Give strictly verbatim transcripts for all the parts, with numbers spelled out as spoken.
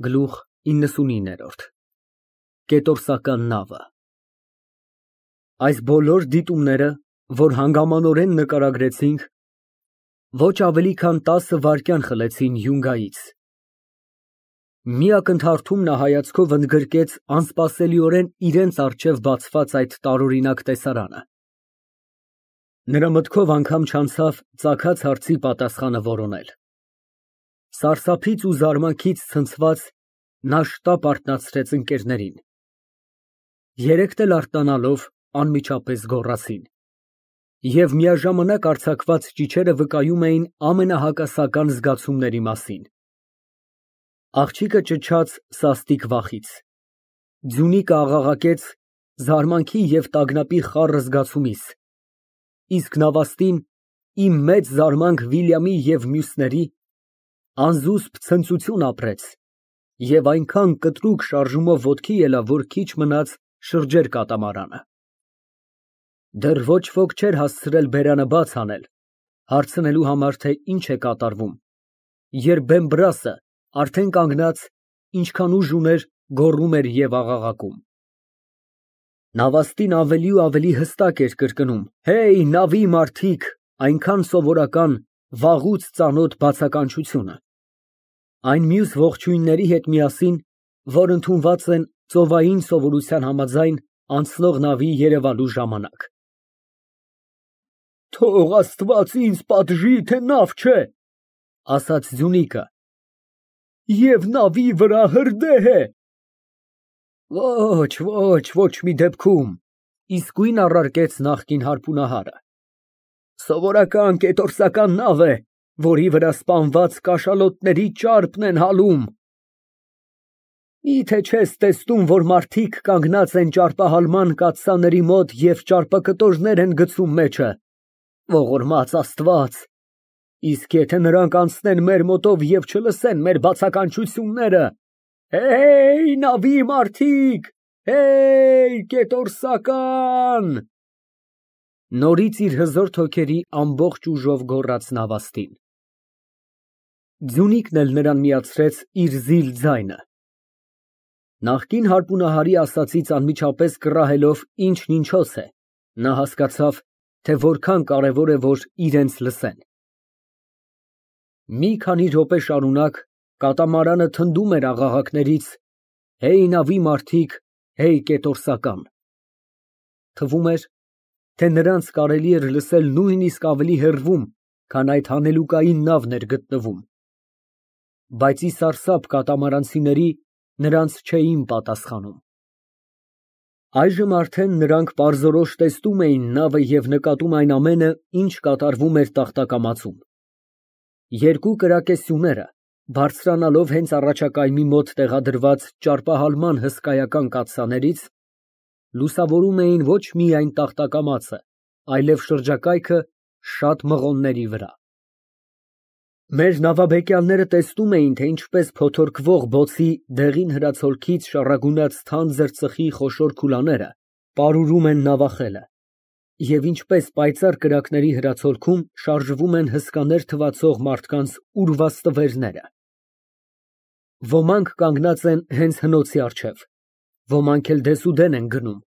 Գլուխ իննսունինը Կետորսական նավը Այս բոլոր դիտումները, որ հանգամանորեն նկարագրեցինք, ոչ ավելի քան տասը վայրկյան խլեցին յունգայից։ Մի ակնթարթում նա հայացքով ընդգրկեց անսպասելիորեն իրենց առջև բացված այդ տարօրինակ տեսարանը։ Նրա մտքով անգամ չանցավ ծագած հարցի պատասխանը որոնել։ Սարսափից ու զարմանքից ցնցված, նա շտապ արթնացրեց ընկերներին։ Երեքն էլ արթնանալով անմիջապես գոռացին։ Եվ միաժամանակ արձակված ճիչերը վկայում էին ամենահակասական զգացումների մասին։ Աղջիկը ճչաց սաստիկ վախից, Ձյունիկը աղաղակեց զարմանքի և տագնապի խառը զգացումից, իսկ նավաստին, ի մեծ զարմանք Վիլյամի և մյուսների, անզուսպ ցնծություն ապրեց և այնքան կտրուկ շարժումով ոտքի ելավ, որ քիչ մնաց շրջեր կատամարանը։ Դեռ ոչ ոք չէր հասցրել բերանը բաց անել, հարցնելու համար, թե ինչ է կատարվում, երբ Բեմբրասը, արդեն կանգնած, ինչքան ուժ ուներ, գոռում էր և աղաղակում։ Նավաստին ավելի ու ավելի հստակ էր կրկնում. «Հեյ, նավի մարդիկ», այնքան սովորական, վաղուց ծանոթ բացականչությունը։ Այն մյուս ողջույնների հետ միասին, որ ընդունված են ծովային սովորության համաձայն անցնող նավի երևալու ժամանակ։ «Թող Աստված ինձ պատժի, թե նավ չէ», ասաց Ձյունիկը, «և նավի վրա հրդեհ է»։ Ոչ, ոչ, ոչ մի դեպքում, իսկույն առարկեց նախկին հարպունահարը, սովորական կետորսական նավ է, որի վրա սպանված կաշալոտների ճարպն են հալում։ Միթե չես տեսնում, որ մարդիկ կանգնած են ճարպահալման կաթսաների մոտ և ճարպակտորներ են գցում մեջը, ողորմած Աստված, իսկ եթե նրանք անցնեն մեր մոտով և չլսեն մեր բացականչությունները, հեյ, նավի մարդիկ, հեյ, կետորսական… Նորից իր հզոր հոգերի ամբողջ ուժով գոռաց նավաստին։ Ձյունիկն էլ նրան միացրեց իր զիլ ձայնը։ Նախկին հարպունահարի ասածից անմիջապես կռահելով ինչն ինչոց է, նա հասկացավ, թե որքան կարևոր է, որ իրենց լսեն։ Մի քանի րոպե շարունակ կատամարանը թնդում էր աղաղակներից. «Հեյ, նավի մարդիկ, հեյ, կետորսական»։ Թվում էր, թե նրանց կարելի էր լսել նույնիսկ ավելի հեռվում, քան այդ հանելուկային նավն էր գտնվում, բայց ի սարսափ կատամարանցիների նրանց չէին պատասխանում։ Այժմ արդեն նրանք պարզորոշ տեսնում էին նավը և նկատում այն ամենը, ինչ կատարվում էր տախտակամածում։ Երկու կրակե սյուները, բարձրանալով հենց առաջակայմի մոտ տեղադրված ճարպահալման հսկայական կաթսաներից, լուսավորում էին ոչ միայն տախտակամածը, այլև շրջակայքը շատ մղոնների վրա։ Մեր նավաբեկյանները տեսնում էին, թե ինչպես փոթորկվող բոցի դեղին հրացոլքից շառագունած թանձր ծխի խոշոր քուլաները պարուրում են նավախելը և ինչպես պայծառ կրակների հրացոլքում շարժվում են հսկաներ թվացող մարդկանց ուրված տվերները։ Ոմանք կանգնած են հենց հնոցի առջև, ոմանք էլ դեսուդեն են գնում,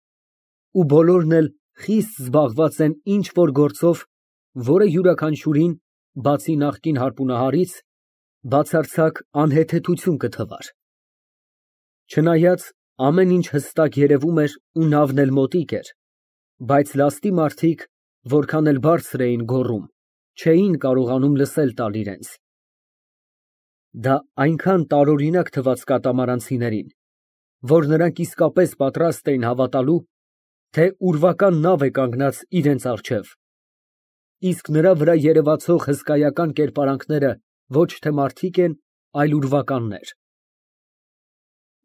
ու բոլորն էլ խիստ զբաղված են ինչ֊որ գործով, որը յուրաքանչյուրին, բացի նախկին հարպունահարից, բացարձակ անհեթեթություն կթվար։ Չնայած ամեն ինչ հստակ երևում էր ու նավն էլ մոտիկ էր, բայց լաստի մարդիկ, որքան էլ բարձր էին գոռում, չէին կարողանում լսել տալ իրենց։ Դա այնքան տարօրինակ թվաց կատամարանցիներին, որ նրանք իսկապես պատրաստ էին հավատալու, թե ուրվական նավ է կանգնած իրենց առջև, իսկ նրա վրա երևացող հսկայական կերպարանքները ոչ թե մարդիկ են, այլ ուրվականներ։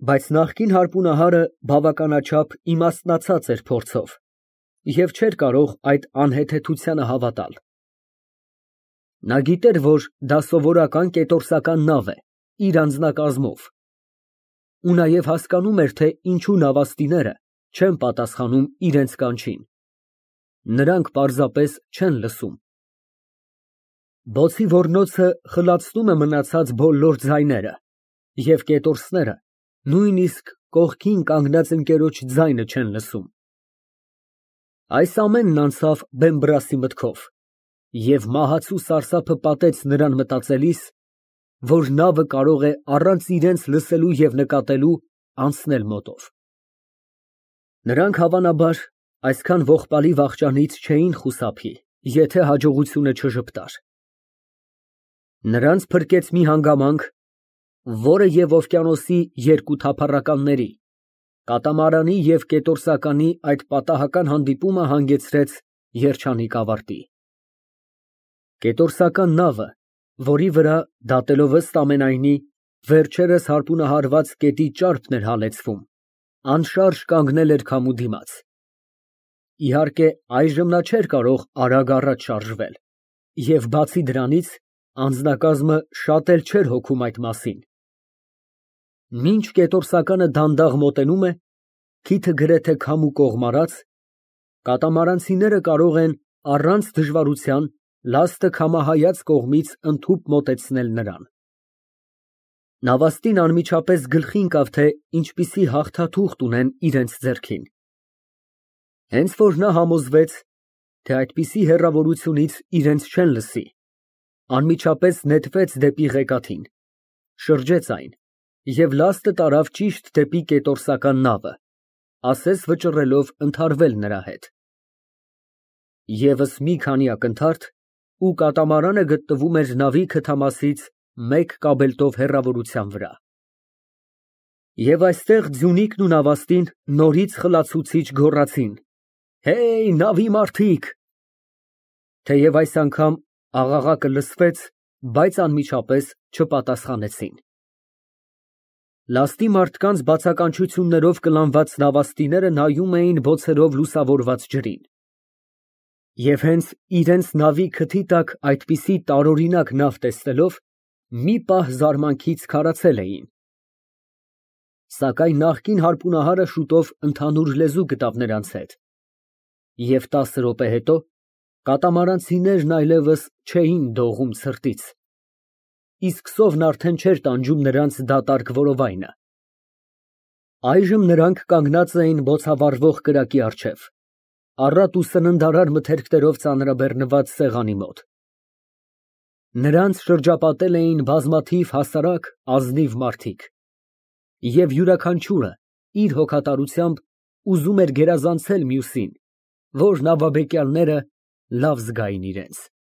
Բայց նախկին հարպունահարը բավականաչափ իմաստնացած էր փորձով և չէր կարող այդ անհեթեթությանը հավատալ։ Նա գիտեր, որ դա սովորական կետորսական նավ է, իր անձնակազմով, ու նաև հասկանում էր, թե ինչու նավաստիները չեն պատասխանում իրենց կանչին։ Նրանք պարզապես չեն լսում։ Բոցի ոռնոցը խլացնում է մնացած բոլոր ձայները, և կետորսները նույնիսկ կողքին կանգնած ընկերոջ ձայնը չեն լսում։ Այս ամենն անցավ Բեմբրասի մտքով, և մահացու սարսափը պատեց նրան մտածելիս, որ նավը կարող է առանց իրենց լսելու և նկատելու անցնել մոտով։ Նրանք, հավանաբար, այսքան ողբալի վախճանից չէին խուսափի, եթե հաջողությունը չժպտար։ Նրանց փրկեց մի հանգամանք, որը և օվկիանոսի երկու թափառականների՝ կատամարանի և կետորսականի այդ պատահական հանդիպումը հանգեցրեց երջանիկ ավարտի։ Կետորսական նավը, որի վրա, դատելով ըստ ամենայնի, վերջերս հարբունահարված կետի ճարպն էր հալեցվում, անշարժ կանգնել էր քամու դիմաց։ Իհարկե, այժմ նա չէր կարող արագ առաջ շարժվել, և բացի դրանից, անձնակազմը շատ էլ չէր հոգում այդ մասին։ Մինչ կետորսականը դանդաղ մոտենում է, քիթը գրեթե քամու կողմարած, կատամարանցիները կարող են առանց դժվարության լաստը քամահայաց կողմից ընդհուպ մոտեցնել նրան։ Նավաստին անմիջապես գլխի ընկավ, թե ինչպիսի հաղթաթուղթ ունեն իրենց ձեռքին։ Հենց որ նա համոզվեց, թե այդպիսի հեռավորությունից իրենց չեն լսի, անմիջապես նետվեց դեպի ղեկաթին, շրջեց այն և լաստը տարավ ճիշտ դեպի կետորսական նավը, ասես վճռելով ընդհարվել նրա հետ։ Եվս մի քանի ակնթարթ, ու կատամարանը գտնվում էր նավի քթամասից մեկ կաբելտով հեռավորության վրա։ Եվ այստեղ Ձյունիկն ու նավաստին նորից խլացուցիչ գոռացին. «Հեյ, նավի մարդիկ»։ Թեև այս անգամ աղաղակը լսվեց, բայց անմիջապես չպատասխանեցին։ Լաստի մարդկանց բացականչություններով կլանված նավաստիները նայում էին բոցերով լուսավորված ջրին։ Եվ հենց իրենց նավի քթի տակ այդպիսի տարօրինակ նավ տեսնելով, մի պահ զարմանքից քարացել էին։ Սակայն նախկին հարբունահարը շուտով ընդհանուր լեզու գտավ նրանց հետ, և տասը րոպե հետո կատամարանցիներն այլևս չէին դողում ցրտից, իսկ սովն արդեն չէր տանջում նրանց դատարկ որովայնը։ Այժմ նրանք կանգնած էին բոցավառվող կրակի առջև, առատ ու սննդարար մթերքներով ծանրաբեռնված սեղանի մոտ։ Նրանց շրջապատել էին բազմաթիվ հասարակ, ազնիվ մարդիկ, և յուրաքանչյուրը իր հոգատարությամբ ուզում էր գերազանցել մյուսին, որ նավաբեկյալները լավ զգային իրենց։